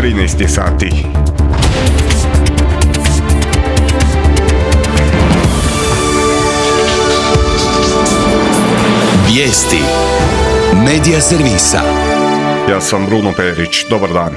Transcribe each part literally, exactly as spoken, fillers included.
trinaest je sati. Vijesti Medija servisa. Ja sam Bruno Perić, dobar dan.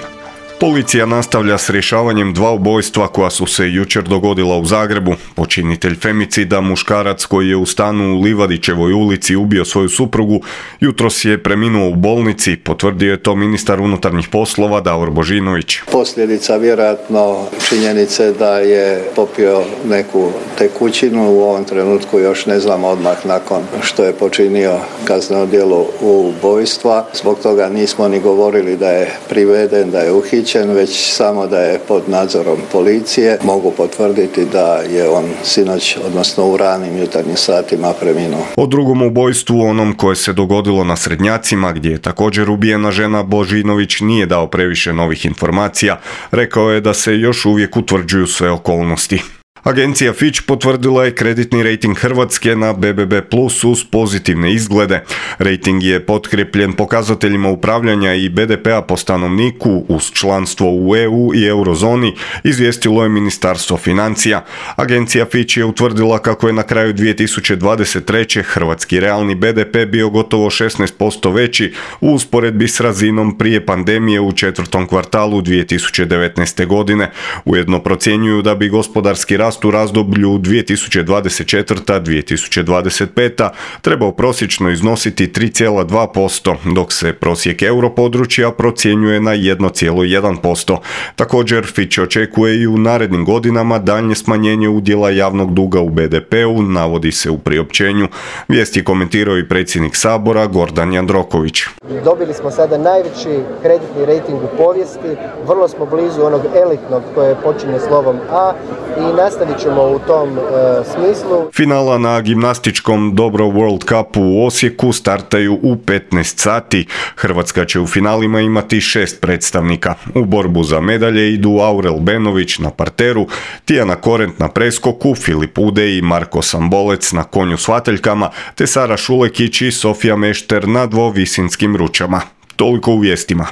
Policija nastavlja s rješavanjem dva ubojstva koja su se jučer dogodila u Zagrebu. Počinitelj femicida, muškarac koji je u stanu u Livadićevoj ulici ubio svoju suprugu, jutros je preminuo u bolnici, potvrdio je to ministar unutarnjih poslova Davor Božinović. Posljedica vjerojatno činjenice da je popio neku tekućinu, u ovom trenutku još ne znamo odmah nakon što je počinio kazneno djelo ubojstva. Zbog toga nismo ni govorili da je priveden, da je uhićen, već samo da je pod nadzorom policije. Mogu potvrditi da je on sinoć, odnosno u ranim jutarnjim satima, preminuo. O drugom ubojstvu, onom koje se dogodilo na Srednjacima, gdje je također ubijena žena, Božinović nije dao previše novih informacija. Rekao je da se još uvijek utvrđuju sve okolnosti. Agencija Fitch potvrdila je kreditni rejting Hrvatske na be be be plus uz pozitivne izglede. Rejting je potkrijepljen pokazateljima upravljanja i be de pea po stanovniku uz članstvo u e u i eurozoni, izvijestilo je Ministarstvo financija. Agencija Fitch je utvrdila kako je na kraju dvije tisuće dvadeset treće. hrvatski realni be de pe bio gotovo šesnaest posto veći u usporedbi s razinom prije pandemije u četvrtom kvartalu dvije tisuće devetnaeste. godine. Ujedno procjenjuju da bi gospodarski rast u razdoblju dvije tisuće dvadeset četvrta do dvije tisuće dvadeset peta trebao prosječno iznositi tri zarez dva posto, dok se prosjek europodručja procjenjuje na jedan zarez jedan posto. Također, Fitch očekuje i u narednim godinama daljnje smanjenje udjela javnog duga u be de peu, navodi se u priopćenju. Vijest je komentirao i predsjednik Sabora Gordan Jandroković. Dobili smo sada najveći kreditni rejting u povijesti, vrlo smo blizu onog elitnog koje počinje slovom A i nastavit ćemo u tom e, smislu. Finala na gimnastičkom Dobro World Cupu u Osijeku startaju u petnaest sati. Hrvatska će u finalima imati šest predstavnika. U borbu za medalje idu Aurel Benović na parteru, Tijana Korent na preskoku, Filip Ude i Marko Sambolec na konju s vateljkama, te Sara Šulekić i Sofija Mešter na dvovisinskim ručama. Toliko u vijestima.